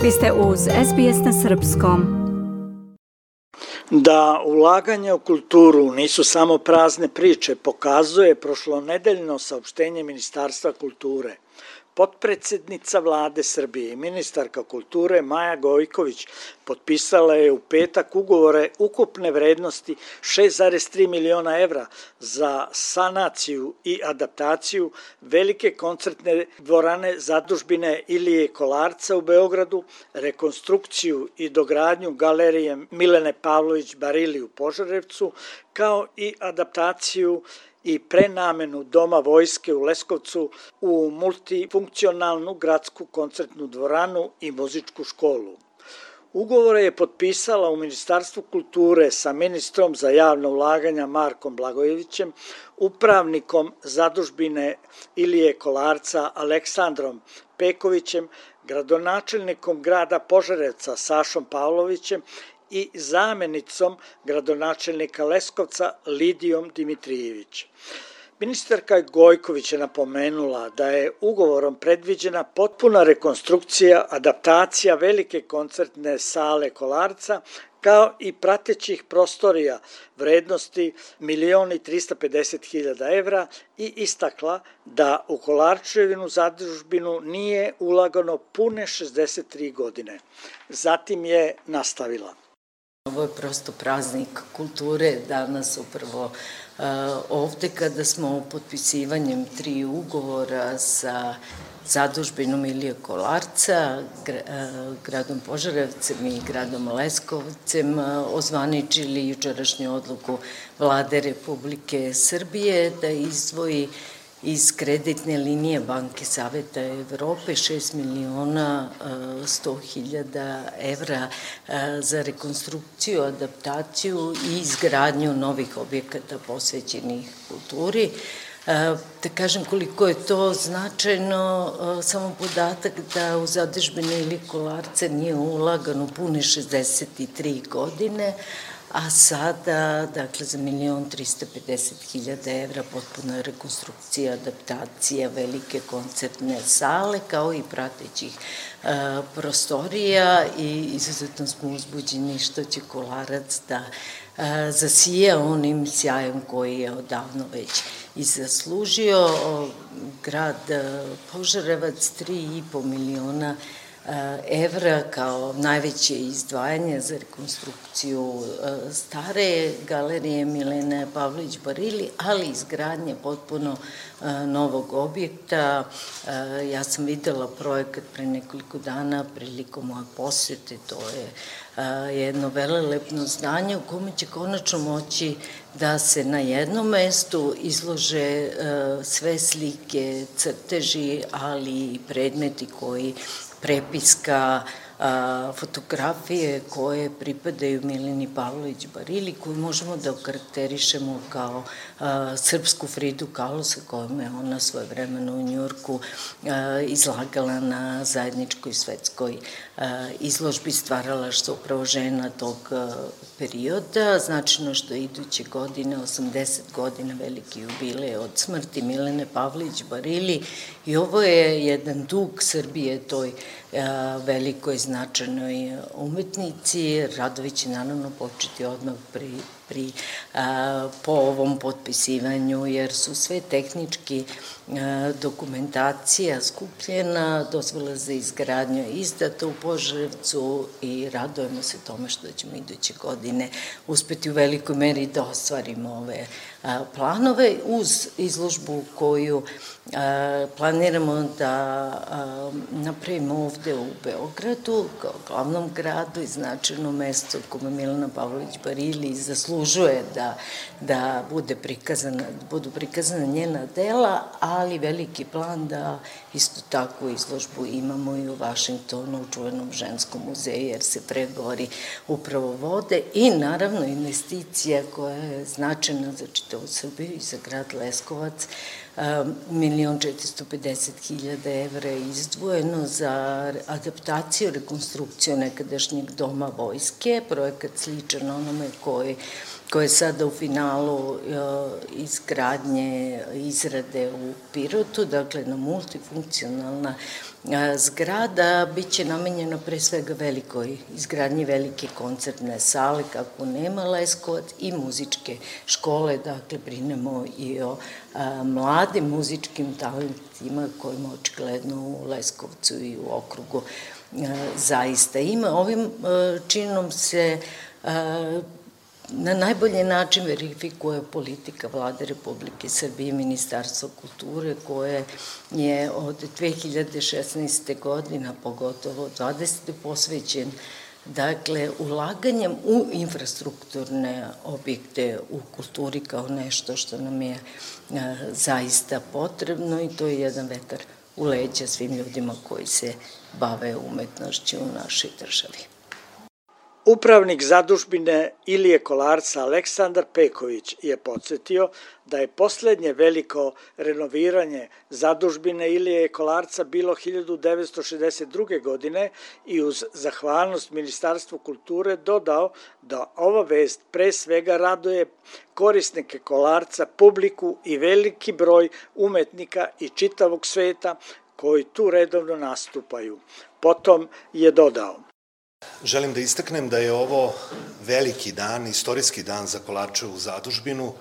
Vi ste uz SBS na srpskom. Da ulaganja u kulturu nisu samo prazne priče, pokazuje prošlonedeljno saopštenje Ministarstva kulture. Potpredsednica Vlade Srbije i ministarka kulture Maja Gojković potpisala je u petak ugovore ukupne vrednosti 6,3 miliona evra za sanaciju i adaptaciju velike koncertne dvorane zadužbine Ilije Kolarca u Beogradu, rekonstrukciju i dogradnju galerije Milene Pavlović Barili u Požarevcu, kao i adaptaciju i prenamenu Doma vojske u Leskovcu u multifunkcionalnu gradsku koncertnu dvoranu i muzičku školu. Ugovore je potpisala u Ministarstvu kulture sa ministrom za javna ulaganja Markom Blagojevićem, upravnikom zadužbine Ilije Kolarca Aleksandrom Pekovićem, gradonačelnikom grada Požarevca Sašom Pavlovićem i zamenicom gradonačelnika Leskovca Lidijom Dimitrijević. Ministarka Gojković je napomenula da je ugovorom predviđena potpuna rekonstrukcija, adaptacija velike koncertne sale Kolarca, kao i pratećih prostorija vrednosti 1.350.000 evra i istakla da u Kolarčevinu zadužbinu nije ulagano pune 63 godine. Zatim je nastavila. Ovo je prosto praznik kulture danas upravo ovde kada smo potpisivanjem 3 ugovora sa zadužbinom Ilije Kolarca, gradom Požarevcem i gradom Leskovcem ozvaničili jučerašnju odluku Vlade Republike Srbije da izdvoji iz kreditne linije Banke Saveta Evrope 6.100.000 evra za rekonstrukciju, adaptaciju i izgradnju novih objekata posvećenih kulturi. Da kažem koliko je to značajno, samo podatak da u zadužbini Ilije Kolarca nije ulagano pune 63 godine, a sada, dakle, za 1.350.000 evra potpuna rekonstrukcija, adaptacija velike koncertne sale, kao i pratećih prostorija i izuzetno smo uzbuđeni što će Kolarac da zasija onim sjajem koji je odavno već i zaslužio. Grad Požarevac 3,5 miliona evra kao najveće izdvajanje za rekonstrukciju stare galerije Milene Pavlović Barili, ali izgradnje potpuno novog objekta. Ja sam videla projekat pre nekoliko dana prilikom moje posete, to je jedno velelepno zdanje u kome će konačno moći da se na jednom mestu izlože sve slike, crteži, ali i predmeti koji prepiska, fotografije koje pripadaju Mileni Pavlović Barili, koju možemo da okarakterišemo kao srpsku Fridu Kahlo, sa kojom je ona svojevremeno u Njujorku izlagala na zajedničkoj svetskoj izložbi stvaralaštva upravo žena tog perioda. Značajno što iduće godine, 80 godina veliki jubilej od smrti Milene Pavlović Barili, i ovo je jedan dug Srbije toj velikoj značajnoj umetnici. Radovi će naravno početi odmah po ovom potpisivanju, jer su sve tehnički dokumentacija skupljena, dozvola za izgradnju izdata u Požarevcu i radujemo se tome što ćemo iduće godine uspeti u velikoj meri da ostvarimo ove planove uz izložbu koju planiramo da napravimo ovde u Beogradu kao glavnom gradu i značajno mesto kome Milena Pavlović Barili zaslužuje da budu prikazana njena dela, ali veliki plan da isto tako izložbu imamo i u Vašingtonu, u čuvenom ženskom muzeju, jer se pregovori upravo vode, i naravno investicija koja je značajna za čitavu Srbiju i za grad Leskovac. 1.450.000 evra je izdvojeno za adaptaciju, rekonstrukciju nekadašnjeg Doma vojske, projekat sličan onome koji koja je sada u finalu izgradnje, izrade u Pirotu, dakle na multifunkcionalna zgrada, bit će namenjena pre svega velikoj izgradnji velike koncertne sale, kako nema Leskovac, i muzičke škole, dakle brinemo i o mladim muzičkim talentima kojima očigledno u Leskovcu i u okrugu zaista ima. Ovim činom se na najbolji način verifikuje politika Vlade Republike Srbije i Ministarstva kulture, koje je od 2016. godina, pogotovo 20. posvećen dakle ulaganjem u infrastrukturne objekte u kulturi kao nešto što nam je zaista potrebno, i to je jedan vetar u leđa svim ljudima koji se bave umetnošću u našoj državi. Upravnik zadužbine Ilije Kolarca Aleksandar Peković je podsjetio da je poslednje veliko renoviranje zadužbine Ilije Kolarca bilo 1962. godine i uz zahvalnost Ministarstvu kulture dodao da ova vest pre svega raduje korisnike Kolarca, publiku i veliki broj umetnika i čitavog sveta koji tu redovno nastupaju. Potom je dodao: Želim da istaknem da je ovo veliki dan, istorijski dan za Kolarčevu zadužbinu,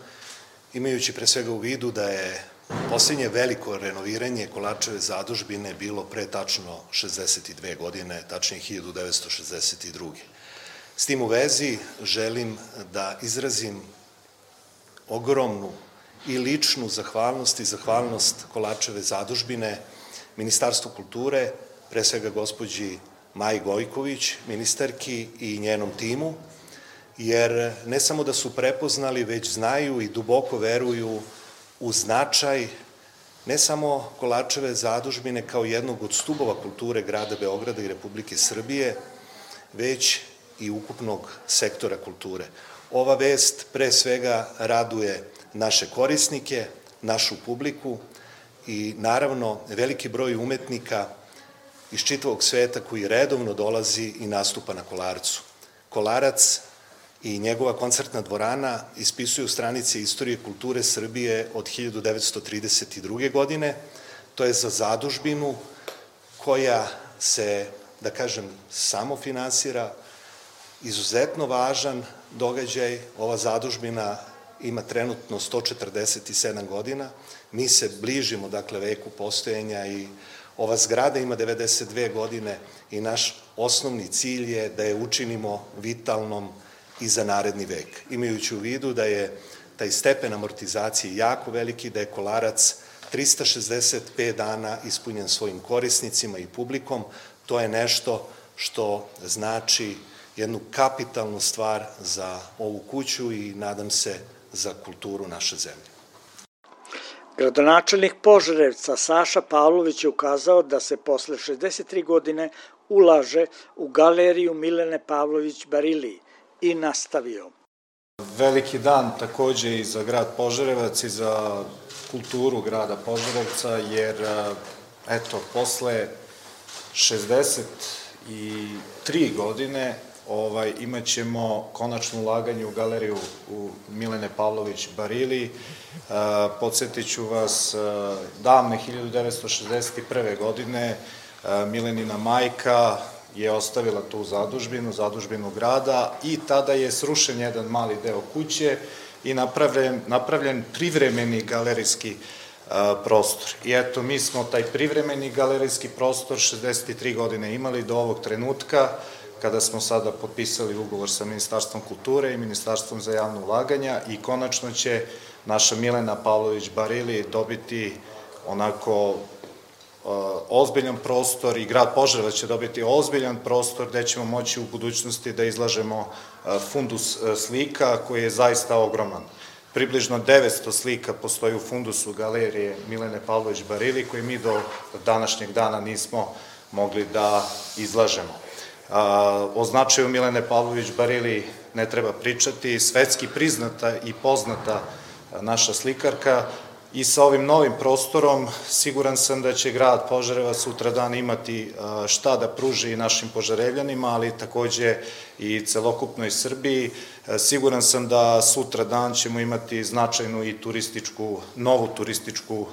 imajući pre svega u vidu da je posljednje veliko renoviranje Kolarčeve zadužbine bilo pre tačno 62 godine, tačnije 1962. S tim u vezi želim da izrazim ogromnu i ličnu zahvalnost i zahvalnost Kolarčeve zadužbine Ministarstvu kulture, pre svega gospođi Maji Gojković, ministarki, i njenom timu, jer ne samo da su prepoznali, već znaju i duboko veruju u značaj ne samo Kolarčeve zadužbine kao jednog od stubova kulture grada Beograda i Republike Srbije, već i ukupnog sektora kulture. Ova vest pre svega raduje naše korisnike, našu publiku i naravno veliki broj umetnika iz čitavog sveta koji redovno dolazi i nastupa na Kolarcu. Kolarac i njegova koncertna dvorana ispisuju stranice istorije kulture Srbije od 1932. godine. To je za zadužbinu koja se, da kažem, samofinansira, izuzetno važan događaj. Ova zadužbina ima trenutno 147 godina. Mi se bližimo, dakle, veku postojanja i ova zgrada ima 92 godine i naš osnovni cilj je da je učinimo vitalnom i za naredni vek. Imajući u vidu da je taj stepen amortizacije jako veliki, da je Kolarac 365 dana ispunjen svojim korisnicima i publikom, to je nešto što znači jednu kapitalnu stvar za ovu kuću i nadam se za kulturu naše zemlje. Gradonačelnik Požarevca Saša Pavlović je ukazao da se posle 63 godine ulaže u galeriju Milene Pavlović Barili i nastavio: Veliki dan takođe i za grad Požarevac i za kulturu grada Požarevca, jer eto, posle 63 godine imat ćemo konačno ulaganje u galeriju u Milene Pavlović Barili. Podsjetit ću vas, davne 1961. godine Milenina majka je ostavila tu zadužbinu grada, i tada je srušen jedan mali deo kuće i napravljen privremeni galerijski prostor. I eto, mi smo taj privremeni galerijski prostor 63 godine imali do ovog trenutka, kada smo sada potpisali ugovor sa Ministarstvom kulture i Ministarstvom za javno ulaganja, i konačno će naša Milena Pavlović Barili dobiti onako ozbiljan prostor, i grad Požarevac će dobiti ozbiljan prostor gde ćemo moći u budućnosti da izlažemo fundus slika koji je zaista ogroman. Približno 900 slika postoji u fundusu galerije Milene Pavlović Barili, koje mi do današnjeg dana nismo mogli da izlažemo. O značaju Milene Pavlović Barili ne treba pričati, svetski priznata i poznata naša slikarka, I sa ovim novim prostorom siguran sam da će grad Požarevac sutradan imati šta da pruži našim Požarevljanima, ali takođe i celokupnoj Srbiji. Siguran sam da sutradan ćemo imati značajnu i novu turističku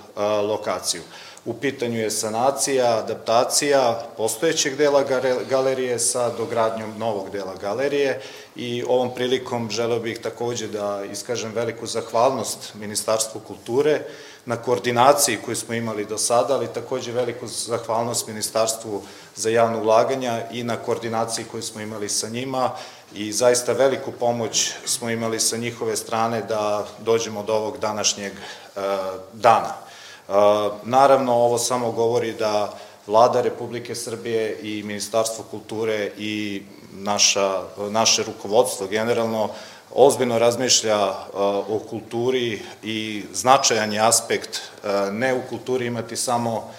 lokaciju. U pitanju je sanacija, adaptacija postojećeg dela galerije sa dogradnjom novog dela galerije i ovom prilikom želeo bih takođe da iskažem veliku zahvalnost Ministarstvu kulture na koordinaciji koju smo imali do sada, ali takođe veliku zahvalnost Ministarstvu za javno ulaganja i na koordinaciji koju smo imali sa njima i zaista veliku pomoć smo imali sa njihove strane da dođemo do ovog današnjeg dana. Naravno, ovo samo govori da Vlada Republike Srbije i Ministarstvo kulture i naše rukovodstvo generalno ozbiljno razmišlja o kulturi i značajan je aspekt ne u kulturi imati samo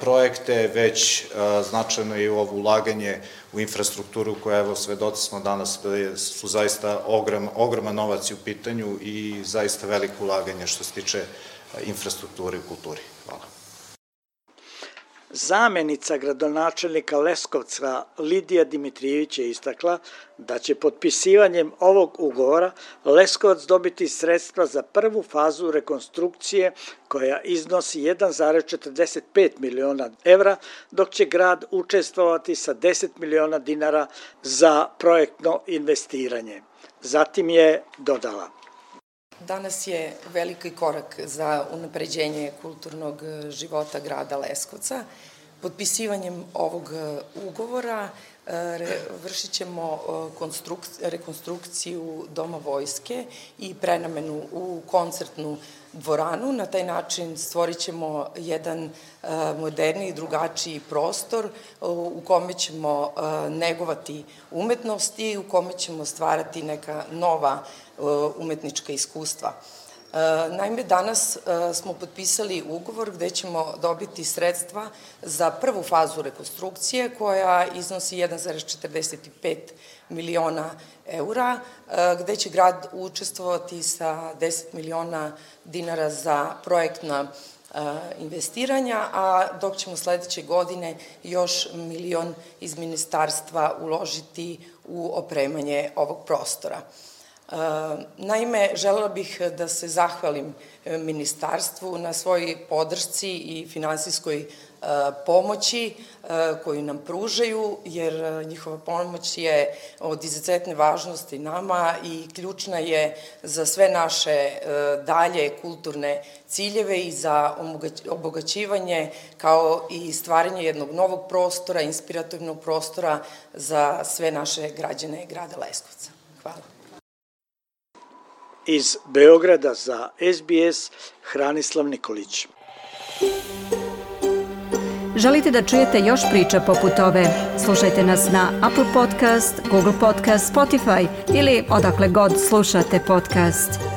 projekte, već značajno je ovo ulaganje u infrastrukturu koja, evo, svedoci smo danas da su zaista ogroman novac u pitanju i zaista veliko ulaganje što se tiče infrastrukture u kulturi. Hvala. Zamenica gradonačelnika Leskovca Lidija Dimitrijević je istakla da će potpisivanjem ovog ugovora Leskovac dobiti sredstva za prvu fazu rekonstrukcije koja iznosi 1,45 miliona evra, dok će grad učestvovati sa 10 miliona dinara za projektno investiranje. Zatim je dodala: Danas je veliki korak za unapređenje kulturnog života grada Leskovca. Potpisivanjem ovog ugovora vršit ćemo rekonstrukciju Doma vojske i prenamenu u koncertnu dvoranu. Na taj način stvorit ćemo jedan moderniji, drugačiji prostor u kome ćemo negovati umetnost i u kome ćemo stvarati neka nova umetnička iskustva. Naime, danas smo potpisali ugovor gde ćemo dobiti sredstva za prvu fazu rekonstrukcije koja iznosi 1,45 miliona eura, gde će grad učestvovati sa 10 miliona dinara za projektna investiranja, a dok ćemo sledeće godine još milion iz ministarstva uložiti u opremanje ovog prostora. Naime, želela bih da se zahvalim ministarstvu na svojoj podršci i finansijskoj pomoći koju nam pružaju, jer njihova pomoć je od izuzetne važnosti nama i ključna je za sve naše dalje kulturne ciljeve i za obogaćivanje kao i stvaranje jednog novog prostora, inspirativnog prostora za sve naše građane grada Leskovca. Hvala. Iz Beograda za SBS Hranislav Nikolić. Želite da čujete još priča poput ove? Slušajte nas na Apple Podcast, Google Podcast, Spotify ili odakle god slušate podcast.